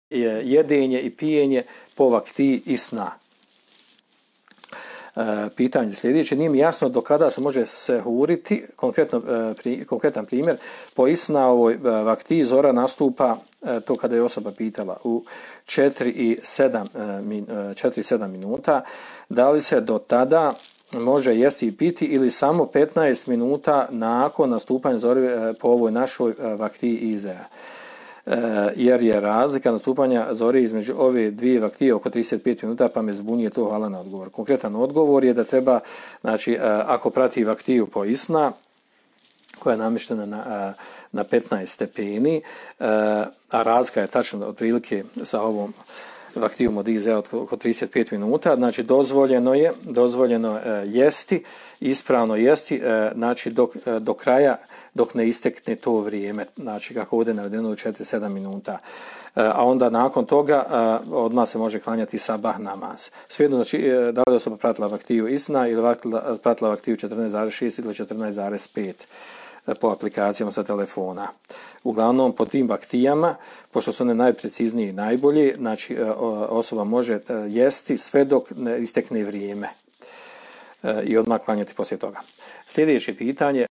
jedenje i pijenje po vakti i sna. Pitanje sljedeće, nije mi jasno do kada se može sehuriti, konkretan primjer, po isna vakti zora nastupa, to kada je osoba pitala, u 4 i 7 minuta, da li se do tada može jesti i piti ili samo 15 minuta nakon nastupanja zore po ovoj našoj vakti izea. Jer je razlika nastupanja zore između ove dvije vaktije oko 35 minuta, pa me zbunije to. Hvala na odgovor. Konkretan odgovor je da treba, znači, ako prati vaktiju po isna, koja je namještena na 15 stepeni, a razlika je tačno otprilike sa ovom vaktijom od izea oko 35 minuta, znači dozvoljeno je jesti, ispravno jesti, znači do kraja, dok ne istekne to vrijeme, znači kako ovdje navedeno u 4-7 minuta. A onda nakon toga odmah se može klanjati sabah namaz. Svejedno, znači, da li osoba pratila vaktiju isna ili pratila vaktiju 14,6 ili 14,5 po aplikacijama sa telefona. Uglavnom, po tim vaktijama, pošto su one najpreciznije i najbolje, znači osoba može jesti sve dok ne istekne vrijeme i odmah klanjati poslije toga. Sljedeće pitanje,